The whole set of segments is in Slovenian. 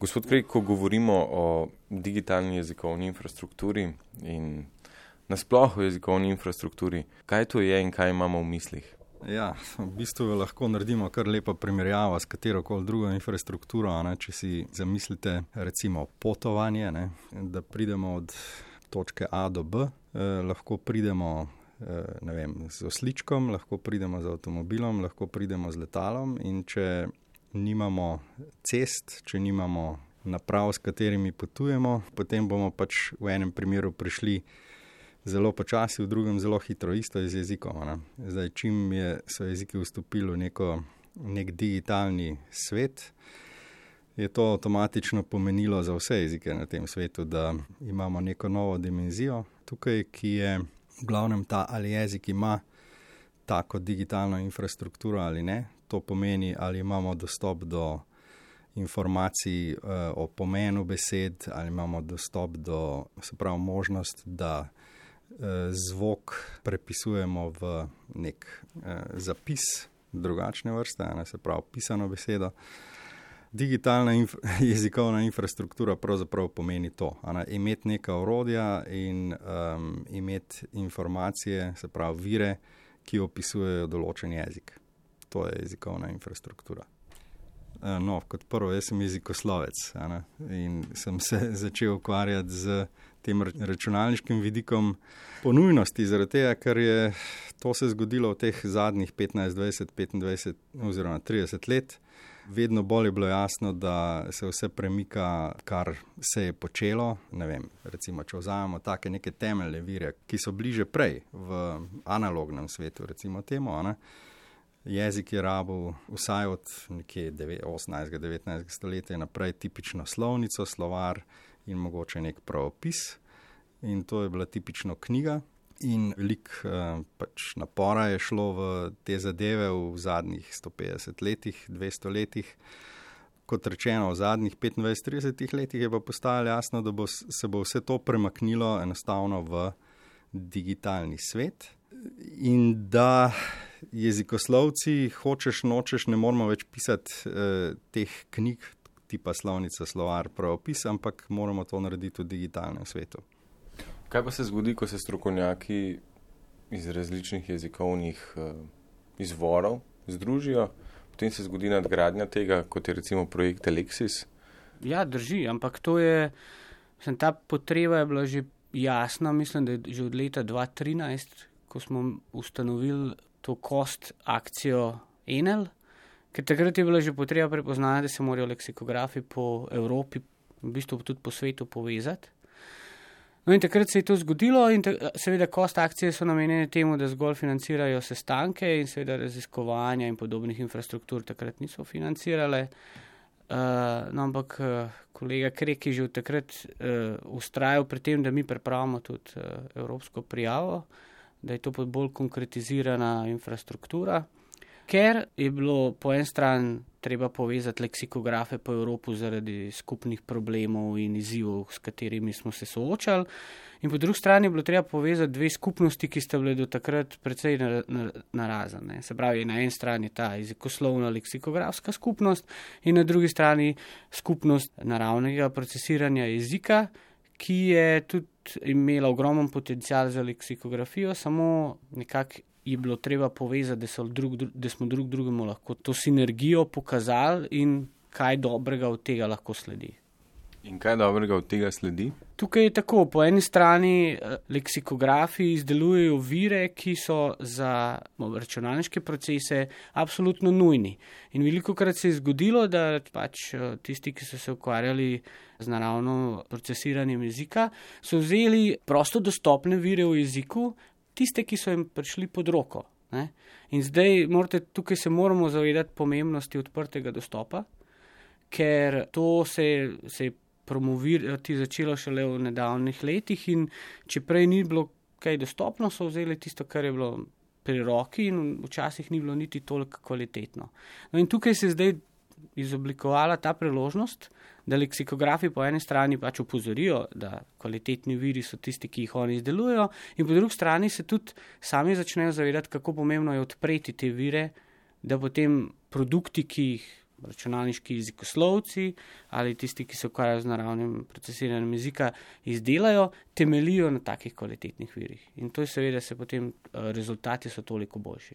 Gospod Krek, ko govorimo o digitalni jezikovni infrastrukturi in nasploh o jezikovni infrastrukturi, kaj to je in kaj imamo v mislih? Ja, v bistvu lahko naredimo kar lepo primerjavo s katerokoli drugo infrastrukturo, če si zamislite recimo potovanje, da pridemo od točke A do B, lahko pridemo z osličkom, lahko pridemo z avtomobilom, lahko pridemo z letalom in če nimamo cest, če nimamo naprav, s katerimi potujemo, potem bomo pač v enem primeru prišli zelo počasi, v drugem zelo hitro, isto je z jezikom. Zdaj, čim so jeziki vstopili v nek digitalni svet, je to avtomatično pomenilo za vse jezike na tem svetu, da imamo neko novo dimenzijo tukaj, ki je v glavnem ta, ali jezik ima tako digitalno infrastrukturo ali ne. To pomeni, ali imamo dostop do informacij o pomenu besed, ali imamo dostop do, se pravi, možnost, da zvok prepisujemo v nek zapis drugačne vrste, se pravi, pisano besedo. Digitalna jezikovna infrastruktura pravzaprav pomeni to, imeti neka orodja in imeti informacije, se pravi, vire, ki opisujejo določen jezik. To je jezikovna infrastruktura. Kot prvo, jaz sem jezikoslovec in sem se začel ukvarjati z tem računalniškim vidikom po nujnosti, zaradi tega, ker je to se zgodilo v teh zadnjih 15, 20, 25 oziroma 30 let. Vedno bolj je bilo jasno, da se vse premika, kar se je počelo. Recimo, če vzamemo take neke temeljne vire, ki so bliže prej v analognem svetu, recimo temu, jezik je rabil vsaj od nekje 18. 19. stoletja naprej tipično slovnico, slovar in mogoče nek pravopis. In to je bila tipično knjiga. In veliko napora je šlo v te zadeve v zadnjih 150 letih, 200 letih. Kot rečeno, v zadnjih 25-30 letih je pa postajalo jasno, da se bo vse to premaknilo enostavno v digitalni svet in da jezikoslovci, hočeš nočeš, ne moramo več pisati teh knjig tipa slovnica, slovar, pravopis, ampak moramo to narediti v digitalnem svetu. Kaj pa se zgodi, ko se strokovnjaki iz različnih jezikovnih izvorov združijo, potem se zgodi nadgradnja tega, kot je recimo projekt Alexis? Ja, drži, ampak to je, ta potreba je bila že jasna, mislim, da je že od leta 2013, ko smo ustanovili to kost akcijo Enel, ker takrat je bila že potreba prepoznana, da se morajo leksikografi po Evropi, v bistvu tudi po svetu povezati. No in takrat se je to zgodilo in seveda kost akcije so namenjene temu, da zgolj financirajo sestanke in seveda raziskovanja in podobnih infrastruktur takrat niso financirale. Ampak kolega Krek je že od takrat vztrajal pri tem, da mi pripravimo tudi evropsko prijavo, da je to bolj konkretizirana infrastruktura, ker je bilo po eni strani treba povezati leksikografe po Evropi zaradi skupnih problemov in izzivov, s katerimi smo se soočali, in po drugi strani je bilo treba povezati dve skupnosti, ki sta bile do takrat precej narazane. Se pravi, na eni strani ta jezikoslovna leksikografska skupnost in na drugi strani skupnost naravnega procesiranja jezika, ki je tudi imela ogromen potencial za leksikografijo, samo nekako je bilo treba povezati, da smo drug drugemu lahko to sinergijo pokazali in kaj dobrega od tega lahko sledi. In kaj dobrega od tega sledi? Tukaj je tako, po eni strani leksikografi izdelujejo vire, ki so za računalniške procese absolutno nujni. In velikokrat se je zgodilo, da pač tisti, ki so se ukvarjali z naravno procesiranjem jezika, so vzeli prosto dostopne vire v jeziku, tiste, ki so jim prišli pod roko. In zdaj tukaj se moramo zavedati pomembnosti odprtega dostopa, ker to se je promovirati začelo šele v nedavnih letih in če prej ni bilo kaj dostopno, so vzeli tisto, kar je bilo pri roki in včasih ni bilo niti toliko kvalitetno. No in tukaj se je zdaj izoblikovala ta priložnost, da leksikografi po eni strani pač opozorijo, da kvalitetni viri so tisti, ki jih oni izdelujejo, in po drugi strani se tudi sami začnejo zavedati, kako pomembno je odpreti te vire, da potem produkti, ki jih računalniški jezikoslovci ali tisti, ki se ukvarjajo z naravnim procesiranjem jezika, izdelajo, temeljijo na takih kvalitetnih virih. In to je seveda se potem rezultati so toliko boljši.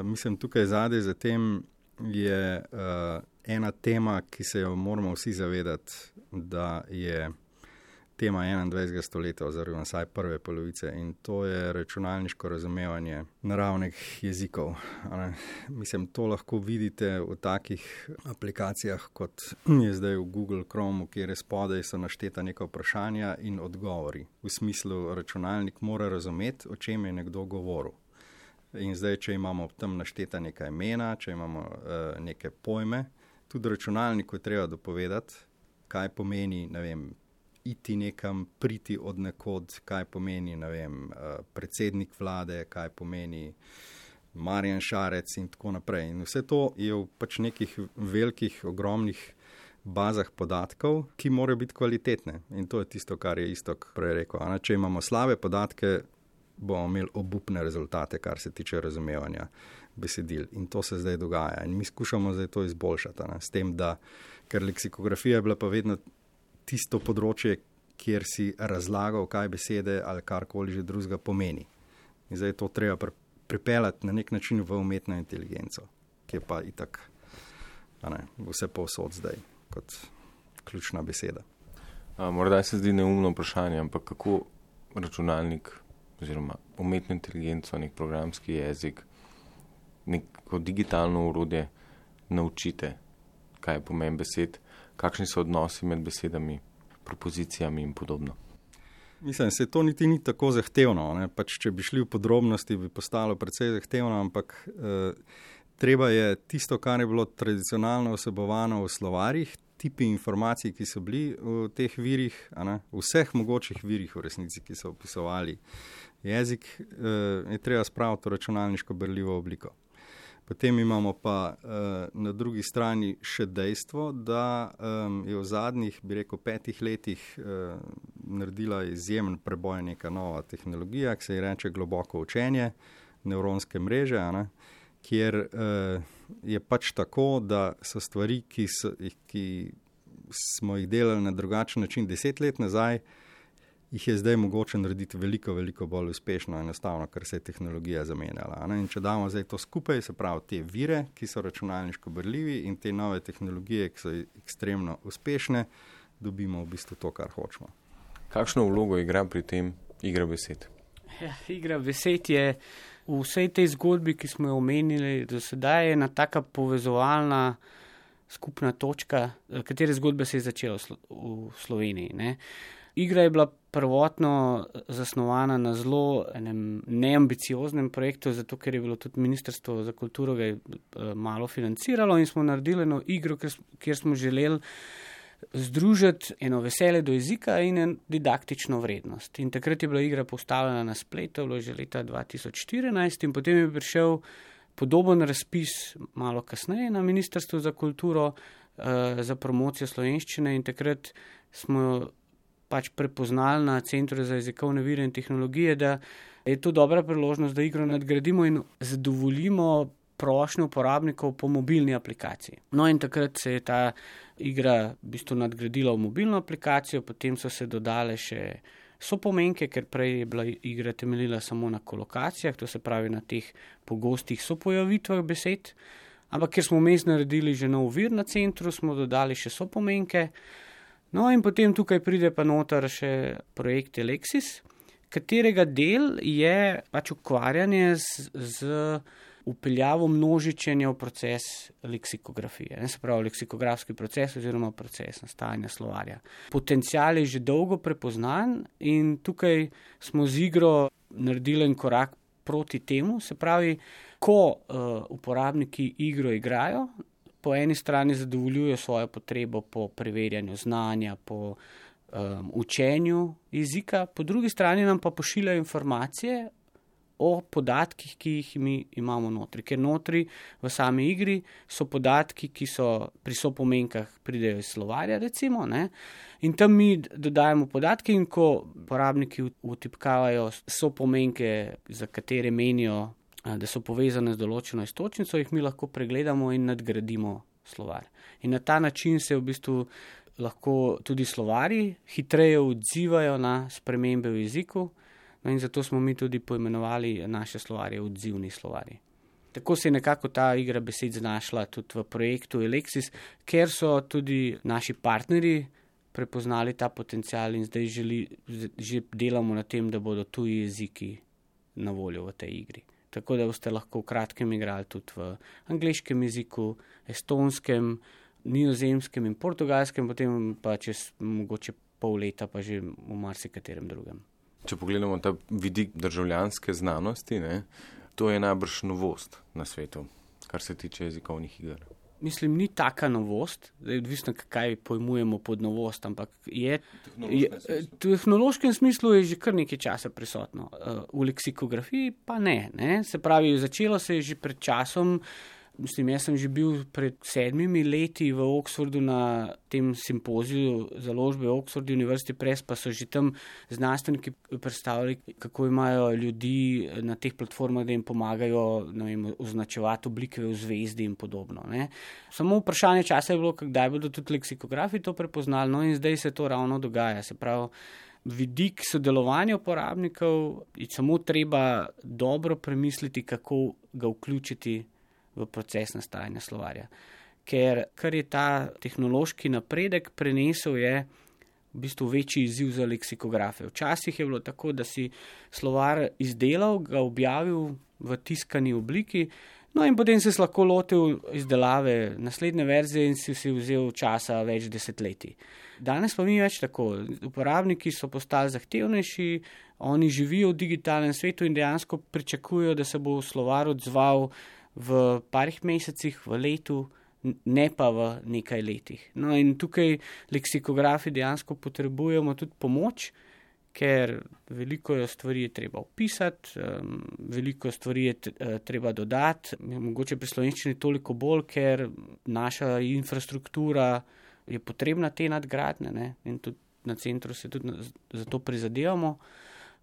Mislim, tukaj zadaj za tem je ena tema, ki se jo moramo vsi zavedati, da je tema 21. stoletja oziroma vsaj prve polovice in to je računalniško razumevanje naravnih jezikov. Mislim, to lahko vidite v takih aplikacijah, kot je zdaj v Google Chromu, kjer spodaj so našteta neka vprašanja in odgovori. V smislu, računalnik mora razumeti, o čem je nekdo govoril. In zdaj, če imamo tam našteta neka imena, če imamo neke pojme, tudi računalniku je treba dopovedati, kaj pomeni, ne vem, iti nekam, priti od nekod, kaj pomeni, ne vem, predsednik vlade, kaj pomeni Marjan Šarec in tako naprej. In vse to je v pač nekih velikih, ogromnih bazah podatkov, ki morajo biti kvalitetne. In to je tisto, kar je Iztok prej rekel. Če imamo slabe podatke, bomo imeli obupne rezultate, kar se tiče razumevanja besedil. In to se zdaj dogaja. In mi skušamo zdaj to izboljšati. S tem, da, ker leksikografija je bila pa vedno tisto področje, kjer si razlagal, kaj besede ali karkoli že drugega pomeni. In zdaj to treba pripeljati na nek način v umetno inteligenco, ki je pa itak vse povsod zdaj kot ključna beseda. Morda se zdi neumno vprašanje, ampak kako računalnik oziroma umetno inteligenco, nek programski jezik, neko digitalno orodje naučite, kaj je pomen besed, kakšni so odnosi med besedami, propozicijami in podobno. Mislim, se to niti ni tako zahtevno. Pač, če bi šli v podrobnosti, bi postalo precej zahtevno, ampak treba je tisto, kar je bilo tradicionalno vsebovano v slovarjih, tipi informacij, ki so bili v teh virih, vseh mogočih virih v resnici, ki so opisovali jezik, je treba spraviti v računalniško berljivo obliko. Potem imamo pa na drugi strani še dejstvo, da je v zadnjih, bi rekel, 5 letih naredila izjemen preboj neka nova tehnologija, ki se ji reče globoko učenje, nevronske mreže, kjer je pač tako, da so stvari, ki smo jih delali na drugačen način 10 let nazaj, jih je zdaj mogoče narediti veliko, veliko bolj uspešno, enostavno, ker se je tehnologija zamenjala. In če damo zdaj to skupaj, se pravi te vire, ki so računalniško berljivi in te nove tehnologije, ki so ekstremno uspešne, dobimo v bistvu to, kar hočemo. Kakšno vlogo igra pri tem igra besed? Igra besed je v vsej tej zgodbi, ki smo jo omenili do sedaj, ena taka povezovalna skupna točka, katere zgodbe se je začela v Sloveniji. Igra je bila prvotno zasnovana na zelo enem neambicioznem projektu, zato ker je bilo tudi Ministrstvo za kulturo ga malo financiralo in smo naredili eno igro, kjer smo želeli združiti eno veselje do jezika in en didaktično vrednost. In takrat je bila igra postavljena na spletu, bilo že leta 2014 in potem je prišel podoben razpis malo kasneje na Ministrstvo za kulturo za promocijo slovenščine in takrat smo pač prepoznali na Centru za jezikovne vire in tehnologije, da je to dobra priložnost, da igro nadgradimo in zadovoljimo prošnje uporabnikov po mobilni aplikaciji. No in takrat se je ta igra v bistvu nadgradila v mobilno aplikacijo, potem so se dodale še sopomenke, ker prej je bila igra temeljila samo na kolokacijah, to se pravi na teh pogostih sopojavitvah besed, ampak ker smo vmes naredili že nov vir na centru, smo dodali še sopomenke. No in potem tukaj pride pa noter še projekt Alexis, katerega del je pač ukvarjanje z vpeljavo množičenja v proces leksikografije. Se pravi, leksikografski proces oziroma proces nastajanja slovarja. Potencial je že dolgo prepoznan in tukaj smo z igro naredili en korak proti temu. Se pravi, ko uporabniki igro igrajo, po eni strani zadovoljujejo svojo potrebo po preverjanju znanja, po učenju jezika, po drugi strani nam pa pošiljajo informacije o podatkih, ki jih mi imamo notri. Ker notri v sami igri so podatki, ki so pri sopomenkah pridejo iz slovarja, recimo, in tam mi dodajamo podatke in ko uporabniki vtipkavajo sopomenke, za katere menijo, da so povezane z določeno iztočnico, jih mi lahko pregledamo in nadgradimo slovar. In na ta način se v bistvu lahko tudi slovarji hitreje odzivajo na spremembe v jeziku, no in zato smo mi tudi poimenovali naše slovarje odzivni slovarji. Tako se je nekako ta igra besed znašla tudi v projektu Elexis, ker so tudi naši partnerji prepoznali ta potencial in zdaj že delamo na tem, da bodo tuji jeziki na voljo v tej igri. Tako da boste lahko v kratkem igrali tudi v angleškem jeziku, estonskem, nizozemskem in portugalskem, potem pa čez mogoče pol leta pa že v marsikaterem drugem. Če pogledamo ta vidik državljanske znanosti, to je najbrž novost na svetu, kar se tiče jezikovnih iger. Mislim, ni taka novost, odvisno kaj pojmujemo pod novost, ampak v tehnološkem smislu je že kar nekaj časa prisotno. V leksikografiji pa ne. Se pravi, začelo se je že pred časom. Mislim, jaz sem že bil pred 7 leti v Oxfordu na tem simpoziju založbe Oxford University Press, pa so že tam znanstveniki predstavili, kako imajo ljudi na teh platformah, da jim pomagajo označevati oblike v zvezdi in podobno. Samo vprašanje časa je bilo, kdaj bodo tudi leksikografi to prepoznali, no in zdaj se to ravno dogaja. Se pravi, vidik sodelovanja uporabnikov je samo treba dobro premisliti, kako ga vključiti v proces nastajanja slovarja. Ker je ta tehnološki napredek prenesel, je v bistvu večji izziv za leksikografe. Včasih je bilo tako, da si slovar izdelal, ga objavil v tiskani obliki, no in potem si lahko lotil izdelave naslednje verzije in si vzel časa več desetletij. Danes pa ni več tako. Uporabniki so postali zahtevnejši, oni živijo v digitalnem svetu in dejansko pričakujejo, da se bo slovar odzval v parih mesecih, v letu, ne pa v nekaj letih. No in tukaj leksikografi dejansko potrebujemo tudi pomoč, ker veliko stvari je treba opisati, veliko stvari je treba dodati, mogoče pri slovenščini toliko bolj, ker naša infrastruktura je potrebna te nadgradnje, in tudi na centru se tudi za to prizadevamo.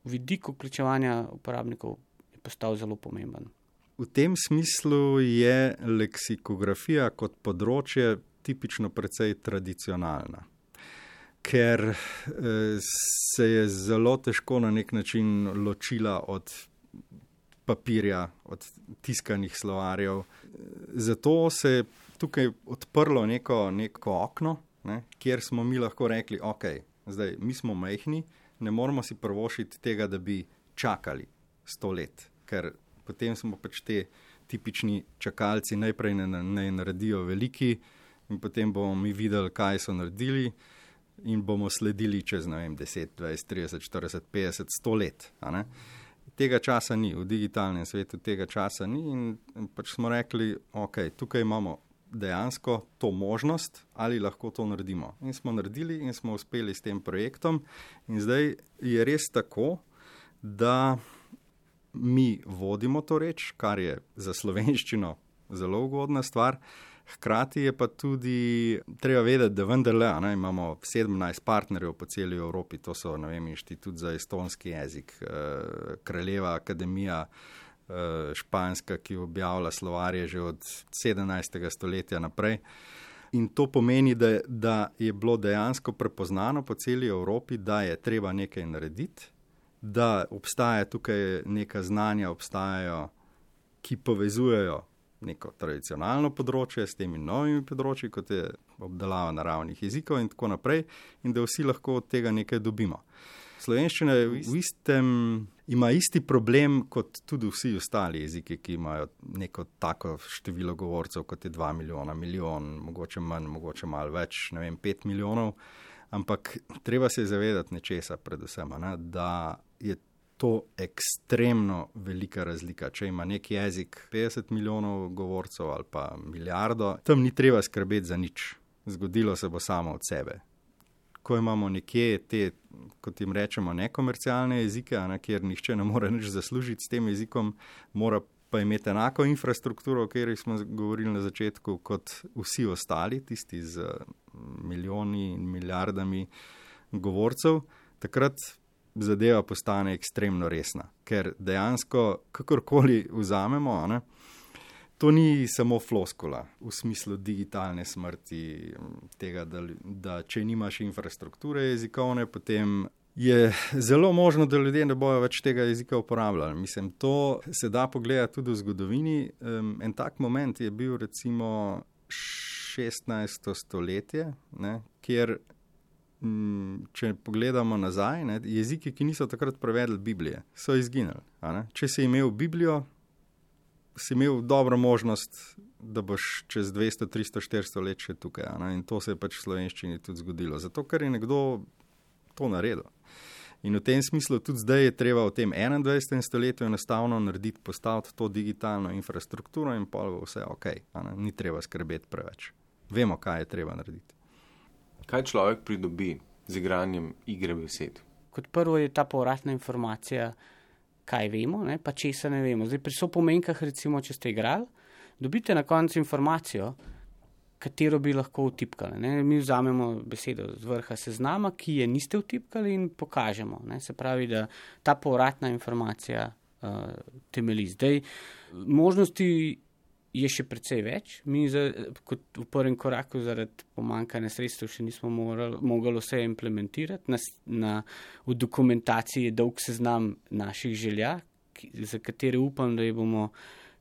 Vidik vključevanja uporabnikov je postal zelo pomemben. V tem smislu je leksikografija kot področje tipično precej tradicionalna, ker se je zelo težko na nek način ločila od papirja, od tiskanih slovarjev. Zato se je tukaj odprlo neko okno, kjer smo mi lahko rekli, ok, zdaj mi smo majhni, ne moramo si privoščiti tega, da bi čakali 100 let, ker potem smo pač te tipični čakalci, najprej ne naredijo veliki in potem bomo mi videli, kaj so naredili in bomo sledili čez 10, 20, 30, 40, 50, 100 let. Tega časa ni, v digitalnem svetu tega časa ni in pač smo rekli, ok, tukaj imamo dejansko to možnost, ali lahko to naredimo. In smo naredili in smo uspeli s tem projektom in zdaj je res tako, da mi vodimo to reč, kar je za slovenščino zelo ugodna stvar. Hkrati je pa tudi treba vedeti, da vendarle imamo 17 partnerjev po celi Evropi, to so Inštitut za estonski jezik, Kraljeva akademija španska, ki objavlja slovarje že od 17. stoletja naprej. In to pomeni, da je bilo dejansko prepoznano po celi Evropi, da je treba nekaj narediti, da obstaja tukaj neka znanja, obstajajo, ki povezujejo neko tradicionalno področje s temi novimi področji, kot je obdelava naravnih jezikov in tako naprej, in da vsi lahko od tega nekaj dobimo. Slovenščina ima isti problem kot tudi vsi ostali jeziki, ki imajo neko tako število govorcev, kot je 2 milijona, milijon, mogoče manj, mogoče malo več, 5 milijonov. Ampak treba se zavedati nečesa predvsem, da je to ekstremno velika razlika. Če ima nek jezik 50 milijonov govorcev ali pa milijardo, tam ni treba skrbeti za nič. Zgodilo se bo samo od sebe. Ko imamo nekje te, kot jim rečemo, nekomercialne jezike, kjer nihče ne more nič zaslužiti s tem jezikom, mora pa imeti enako infrastrukturo, o kateri smo govorili na začetku, kot vsi ostali, tisti z milijoni in milijardami govorcev, takrat zadeva postane ekstremno resna. Ker dejansko, kakorkoli vzamemo, To ni samo floskula v smislu digitalne smrti, tega, da če nimaš infrastrukture jezikovne, potem je zelo možno, da ljudje ne bojo več tega jezika uporabljali. Mislim, to se da pogledati tudi v zgodovini. En tak moment je bil recimo 16. stoletje, ne, kjer, če pogledamo nazaj, ne, jeziki, ki niso takrat prevedli Biblije, so izginili. Če si imel Biblijo, si imel dobro možnost, da boš čez 200, 300, 400 let še tukaj. In to se je pač v slovenščini tudi zgodilo. Zato, ker je nekdo to naredil. In v tem smislu tudi zdaj je treba v tem 21. stoletju enostavno narediti, postaviti to digitalno infrastrukturo in pol bo vse ok. Ni treba skrbeti preveč. Vemo, kaj je treba narediti. Kaj človek pridobi z igranjem igre besed? Kot prvo je ta povratna informacija, kaj vemo, ne, pa česa ne vemo. Zdaj, pri sopomenkah, recimo, če ste igrali, dobite na koncu informacijo, katero bi lahko vtipkali. Ne. Mi vzamemo besedo z vrha seznama, ki je niste vtipkali in pokažemo. Ne. Se pravi, da ta povratna informacija temelji. Zdaj, možnosti je še precej več. Mi kot v prvem koraku zaradi pomanjkanja sredstev še nismo mogli vse implementirati. V dokumentaciji je dolg seznam naših želja, za katere upam, da jih bomo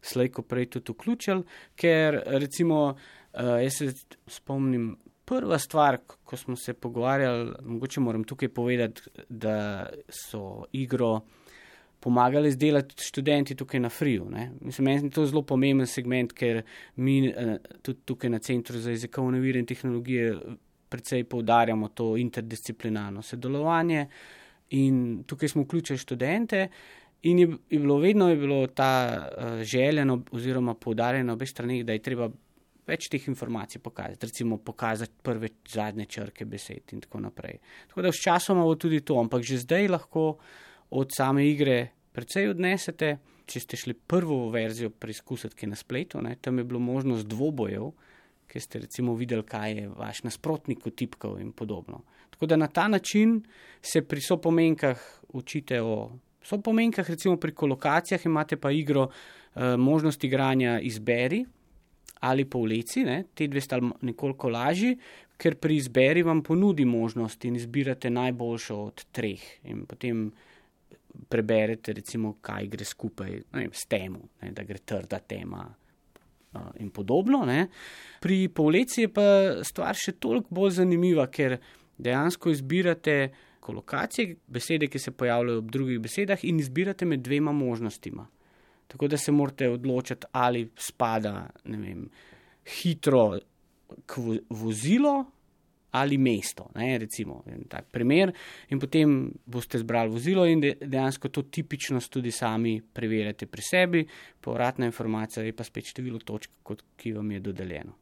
slejko prej tudi vključili, ker recimo jaz se spomnim, prva stvar, ko smo se pogovarjali, mogoče moram tukaj povedati, da so igro pomagali izdelati študenti tukaj na Friju. Mislim, meni je to zelo pomemben segment, ker mi tudi tukaj na Centru za jezikovne vire in tehnologije precej poudarjamo to interdisciplinarno sodelovanje in tukaj smo vključili študente in vedno je bilo ta željeno oziroma poudarjeno obe strani, da je treba več teh informacij pokazati, recimo pokazati prve, zadnje črke besed in tako naprej. Tako da s časom bo tudi to, ampak že zdaj lahko od same igre precej odnesete, če ste šli prvo verzijo preizkusiti, ki je na spletu, tam je bilo možnost dvobojev, ker ste recimo videli, kaj je vaš nasprotnik vtipkal in podobno. Tako da na ta način se pri sopomenkah učite o sopomenkah, recimo pri kolokacijah imate pa igro možnost igranja izberi ali povleci, te dve sta nekoliko lažji, ker pri izberi vam ponudi možnost in izbirate najboljšo od treh in potem preberete, recimo, kaj gre skupaj s temo, da gre trda tema in podobno. Pri povleci je pa stvar še toliko bolj zanimiva, ker dejansko izbirate kolokacije, besede, ki se pojavljajo ob drugih besedah in izbirate med dvema možnostima. Tako da se morate odločiti, ali spada, hitro k vozilo ali mesto, recimo, tak primer, in potem boste zbrali vozilo in dejansko to tipičnost tudi sami preverjate pri sebi, povratna informacija je pa spet število točk, ki vam je dodeljeno.